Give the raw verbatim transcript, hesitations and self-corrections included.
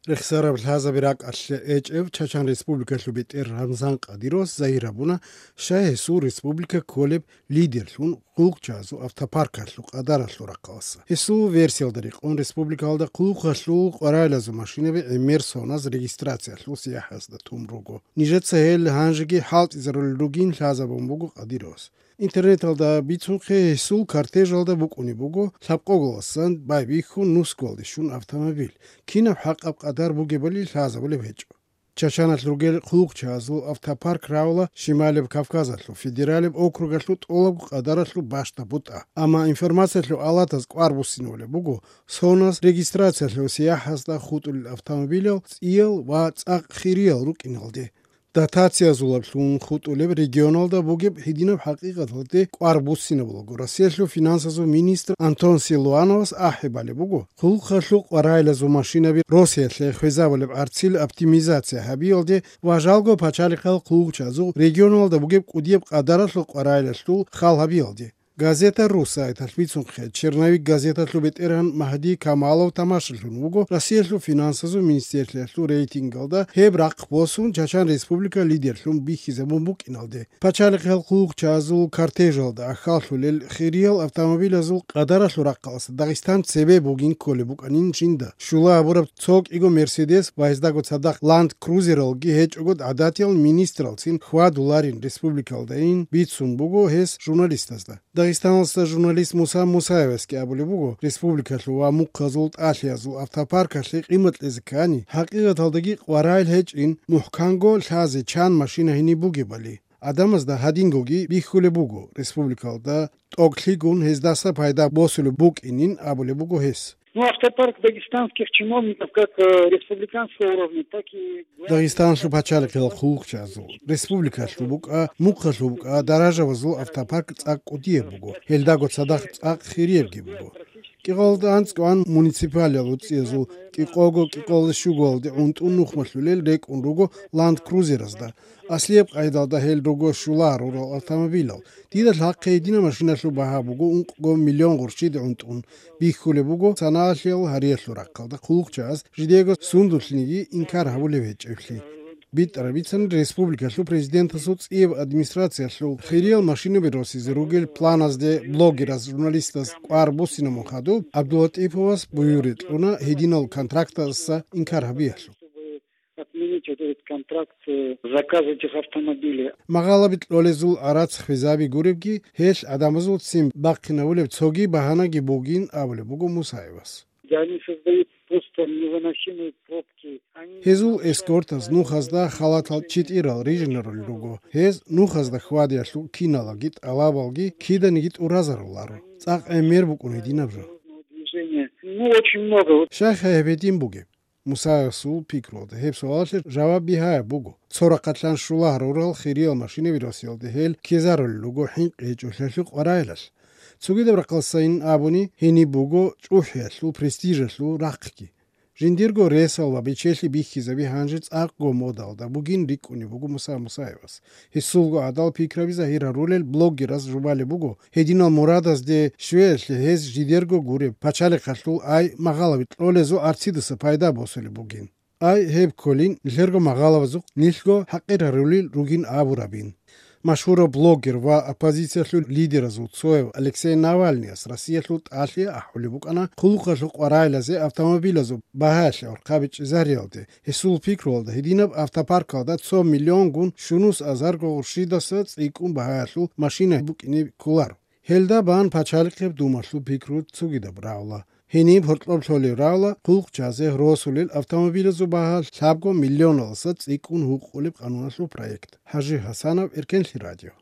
Рехсараб лъазаби ракӀалъе гьечӀев Чачан Республикалъул бетӀер Рамзан Кадировас загьир гьабуна, щай гьесул республика кколеб лидерлъун хъулухъчагьазул автопаркалъул къадаралъул рахъалъа. Гьесул версиялда рекъон, республикалда хъулухъалъул къварайлазул машинаби гӀемер соназ регистрациялъул сияхӀазда тун руго. Нижеца гьел гьанжеги хӀалтӀизарулел ругин лъазабун буго Кадировас. Интернеталда бицунхъе, гьесул кортежалда букӀунеб буго лъабкъоголасан байбихьун нусгоялде щун автомобиль. Кинаб хӀакъаб къадар бугебали лъазабулеб гьечӀо. Чачаналъ ругел хъулухъчагьазул автопарк равла Шималеб Кавказалъул федералеб округалъул тӀолабго къадаралъул бащда бутӀа. Амма информациялъул алатаз кӀвар буссинабулеб буго соназ регистрациялъул сияхӀазда хутӀулел автомобилал цӀиял ва цӀакъ хириял рукӀиналде. Дотациязулаблъун хутӀулеб регионалда бугеб гьединаб хӀакъикъаталде кӀвар буссинабулаго, Россиялъул финансазул министр Антон Силуановас ахӀи балеб буго, хъулухъалъул къварайлазул машинаби Россиялъе хвезабулеб гӀарцил оптимизация гьабиялде ва жалго пачалихъал хъулухъчагьазул регионалда бугеб кӀудияб къадаралъул къварайлалъул хал гьабиялде. Газета ру сайталъ бицунхъе, Черновик газеталъул бетӀергьан Магьди Камалов тамашалъун вуго Россиялъул финансазул министрлъиялъул рейтингалда гьеб рахъ босун, Чачан Республика лидерлъун бихьизабун букӀиналде. Пачалихъал хъулухъчагьазул кортежалда ахьаллъулел хириял автомобилазул къадаралъул рахъалъа Дагъистан цебе бугин кколеб букӀанин жинда. Щула гьабураб цо кӀиго Мерседес ва гьездаго цадахъ Ланд Крузералги гьечӀого гӀадатиял министралцин хьвадуларин республикалдайин бицун буго гьес журналистазда. Дагъистаналъа журналист Муса Мусаевасги абулеб буго, республикалъул ва мухъазул тӀалъиязул автопаркалъе къимат кьезе ккани, хӀакъикъаталдаги къварайил гьечӀин, мухӀканго лъазе чан машина гьениб бугебали. Гьадинго гьадингоги бихьулеб буго, республикалда тӀокӀлъигун гьездаса пайда босулеб букӀинин абулеб буго гьес. Ну, автопарк дагестанских чиновников, как, э, республиканского уровня, так и Дагъистаналъул пачалихъал хъулухъчагьазул, республикалъул букӀа, мухъалъул букӀа даражабазул автопарк цӀакъ кӀудияб буго, гьелдаго цадахъ цӀакъ хириябги буго. КӀикъоялда анцӀгоан муниципалиялъул цӀиязул кӀикъого-кӀикъоялда щугоялде гӀунтӀун нухмалъулел рекӀун руго Ланд Крузеразда. Аслияб къайдалда гьел руго щула гьарурал автомобилал. Дида лъахъе гьединаб машиналъул багьа буго ункъго миллион гъурщиде гӀунтӀун. Бихьулеб буго санаялъул гьариялъул рахъалда хъулухъчагьаз жидего сундулъниги инкар гьабулеб гьечӀеблъи. БитӀараб бицани республикалъул президентасул цӀияб администрациялъул хириял машинаби росизе ругел планазде блогерас журналистаз кӀвар буссинабун хадуб, ГӀабдулатӀиповас буюрги кьуна гьединал контрактаздаса инкар гьабиялъул. Отменить вот этот контракт, э, заказ этих автомобилей. Магъалаби кьолезул гӀарац хвезаби гуребги, гьелъ гӀадамазул ццин бахъинабулеб цоги багьанаги бугин абулеб буго Мусаевас. Да они создают просто невыносимые пробки. Они Гьезул эскортаз нухазда халатал читӀирал рижинарулел руго. Гьез нухазда хьвадиялъул киналаги тӀалабалги киданиги тӀуразаруларо. ЦӀакъ гӀемер букӀун гьединаб жо. Движение. Ну, очень много. Щай гьеб гьедин бугеб? Мусаевасул пикруялда гьеб суалалъе жаваб бигьаяб буго. Цо рахъалъан щула гьарурал хириял машинаби росиялде гьел ккезарулел руго хӀинкъи гьечӀолъиялъул къварайлъалъ. Цогидаб рахъалдасайин абуни, гьениб буго чӀухӀиялъул, престижалъул рахъги. Жиндирго ресал ва бечелъи бихьизаби гьанже цӀакъго модалда бугин рикӀкӀунеб буго Муса Мусаевас. Гьесулго гӀадал пикраби загьир гьарулел блогераз жубалеб буго, гьединал мурадазде щвеялъе гьез жидерго гуреб пачалихъалъул ай магъалаби кьолезул гӀарцидаса пайда босулеб бугин. Ай гьеб кколин, нилъерго магъалабазухъ нилъго хӀакъир гьарулел ругин абурабин. Машгьурав блогер ва оппозициялъул лидеразул цояв Алексей Навальныяс Россиялъул тӀалъи ахӀулеб букӀана хъулухъалъул къварайлазе автомобилазул багьаялъе гӀорхъабичӀчӀизариялде. Гьесул пикруялда, гьединаб автопаркалда цо миллионгун щунус азарго гъурщидаса цӀикӀкӀун багьаялъул машина букӀине кколаро. Гьелда бан пачалихъеб думалъул пикру цогидаб рагӀула. Гьениб гьоркьоб лъолеб рагӀула хъулухъчазе росулел автомобилазул багьа лъабго миллионалдаса цӀикӀкӀун гьукъулеб къануналъул проект. ХӀажи Гьасанов, Эркенлъи радио.